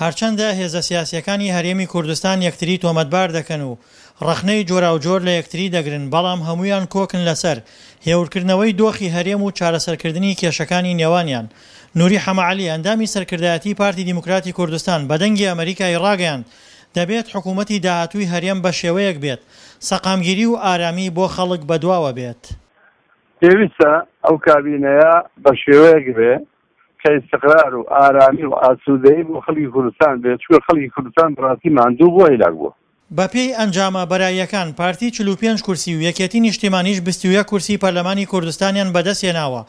هەرچەندە هێزە سیاسییەکانی هەرێمی کوردستان یەکتری تۆمەتبار دەکەن و ڕەخنەی جۆراوجۆر لە یەکتری دەگرن، بەڵام هەموویان کۆکن لەسەر هێورکردنەوەی دۆخی هەرێم و چارەسەرکردنی کێشەکانی نێوانیان. نوری حەمەعەلی، ئەندامی سەرکردایەتی پارتی دیموکراتی کوردستان بە دەنگی ئەمەریکای ڕاگەیاند، دەبێت حکومەتی داهاتووی هەرێم بەشێوەیەک بێت سەقامگیری و ئارامی بۆ خەڵک بەدواوە بێت. پێویستە ئەو کابینەیە بەشێوەیەک بێ کە ئیستقرار و ئارامی و ئاسوودەیی بۆ خەڵکی کوردستان بێت، چونکە خەڵکی کوردستان بەڕاستی ماندوو بووە، هیلاک بووە. بەپێی ئەنجامە بەراییەکان پارتی 45 کورسی و یەکێتی نیشتیمانیش 21 کورسی پەرلەمانی کوردستانیان بەدەستهێناوە،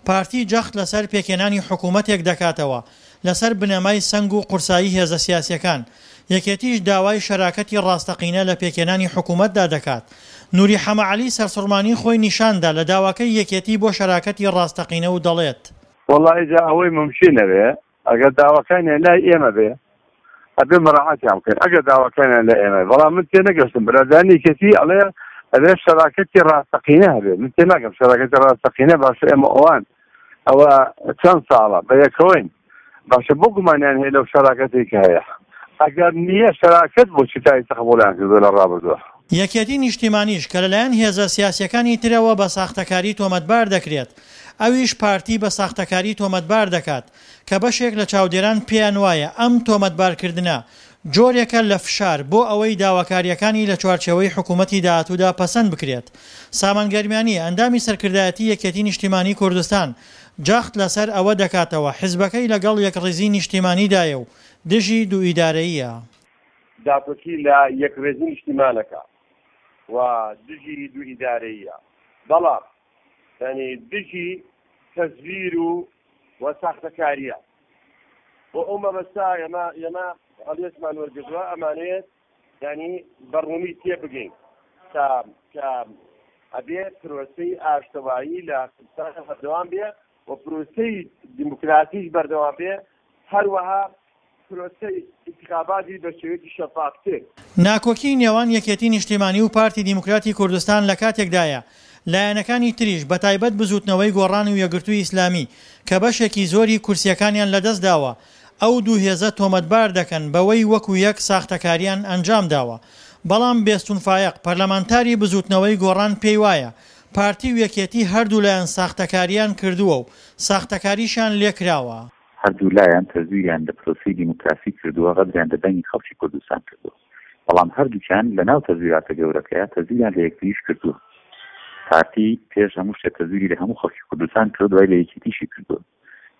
پارتی جەخت لەسەر پێکهێنانی حکومەتێک دەکاتەوە لەسەر بنەمای سەنگ و قورسایی هێزە سیاسیەکان، یەکێتیش داوای شەراکەتی ڕاستەقینە لە پێکهێنانی حکومەتدا دەکات. نوری حەمە عەلی سەرسوڕمانی خۆی نیشاندا لە داواکەی یەکێتی بۆ شەراکەتی ڕاستەقینە و دەڵێت. وەڵا ئیجا ئەوەی مومکینە بێ ئەگەر داواکانیان لای ئێمە بێ ئەبێ مەراعاتیان بکەین ئەگەر داواکانیان لای ئێمە بەڵام من تێنەگەشتم برادانی یەکێتی ئەڵێ ئەبێ شەراکەتی ڕاستەقینە هەبێ من تێناگەم شەراکەتی ڕاستەقینە باشە ئێمە ئەوان ئەوە چەند ساڵە بە یەکەوەین باشە بۆ گومانیان هەیە لەو شەراکەتێک کە هەیە ئەگەر نییە شەراکەت بۆچی تا ئیستا قبوڵیان کردووە لە ڕابردووە. یەکێتی نیشتیمانیش کە لەلایەن هێزە سیاسیەکانی ترەوە بە ساختەکاری تۆمەتبار دەکرێت، ئەویش پارتی بە ساختەکاری تۆمەتبار دەکات، کە بەشێک لە چاودێران پێیان وایە ئەم تۆمەتبارکردنە جۆرێکە لە فشار بۆ ئەوەی داواکارییەکانی لە چوارچێوەی حکوومەتی داهاتوودا پەسەند بکرێت. سامان گەرمیانی، ئەندامی سەرکردایەتی یەکێتی نیشتیمانی کوردستان، جەخت لەسەر ئەوە دەکاتەوە حزبەکەی لەگەڵ یەکڕیزی نیشتیمانیدایە و دژی دووئیدارەییە. داکۆکی لە یەکڕێزی نیشتیمانەکە و دژی دووئیدارەییە، بەڵام یانی دژی تەزویر و و ساختەکارییە. بۆ ئەو مەبەستە ئێمە ئێمە هەڵوێستمان وەرگرتووە، ئەمانەوێت یانی بە ڕوونی تێبگەین کە کە ئەبێ پرۆسەی ئاشتەوایی لە کوردستان بەردەوام بێ و پرۆسەی دیموکراتیش بەردەوام بێ، هەروەها پرۆسەی ئینتخاباتی بە شێوەیەکی شەفافتر. ناکۆکیی نێوان یەکێتی نیشتیمانی و پارتی دیموکراتی کوردستان لە کاتێکدایە، لایەنەکانی تریش بەتایبەت بزووتنەوەی گۆڕان و یەکگرتووی ئیسلامی کە بەشێکی زۆری کورسییەکانیان لەدەستداوە، ئەو دوو هێزە تۆمەتبار دەکەن بەوەی وەکو یەک ساختەکارییان ئەنجامداوە. بەڵام بێستون فایەق، پەرلەمانتاری بزووتنەوەی گۆڕان پێیوایە، پارتی و یەکێتی هەردوولایان ساختەکارییان کردووە و ساختەکاریشیان لێکراوە. هەردوولایان تەزویریان لە پرۆسەی دیموکراسی کردووە، غەدریان لە دەنگی خەڵکی کوردستان کردووە. بەڵام هەردووکیان لە ناو تەزویراتە گەورەکەیا تەزویریان لە یەکتریش کردووە. پارتی پێش هەموو شتێ تەزویری لە هەموو خەڵکی کوردستان کردووە دوای لە یەکێتیشی کردووە.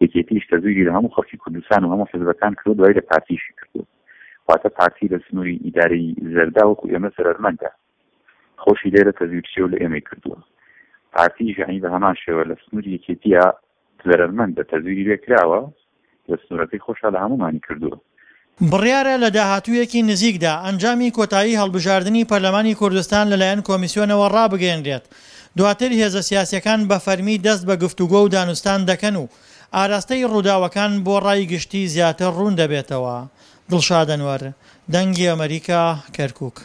یەکێتیش تەزویری لە هەموو خەڵکی کوردستان و هەموو حزبەکان کردووە دوای لە پارتیشی کردووە. واتە پارتی لە سنووری ئیدارەی زەردا وەکو ئێمە زەرەرمەندە. خۆشی لێرە تەزویرچیە و لە ئێمەی کردووە. پارتیش یەعنی بە هەمان شێوە لە سنووری یەکێتییا زەرەرمەندە، تەزویری لێ کراوە، لە سنوورەکەی خۆشا لە هەموومانی کردووە. بڕیارە لە داهاتوویەکی نزیکدا ئەنجامی کۆتایی هەڵبژاردنی پەرلەمانی کوردستان لەلایەن کۆمیسیۆنەوە ڕابگەیەنرێت، دواتر هێزە سیاسییەکان بە فەرمی دەست بە گفتوگۆ و دانوستان دەکەن و ئاراستەی ڕووداوەکان بۆ ڕای گشتی زیاتر ڕوون دەبێتەوە. دڵشاد ئەنوەر، دەنگی ئەمەریکا، کەرکوک.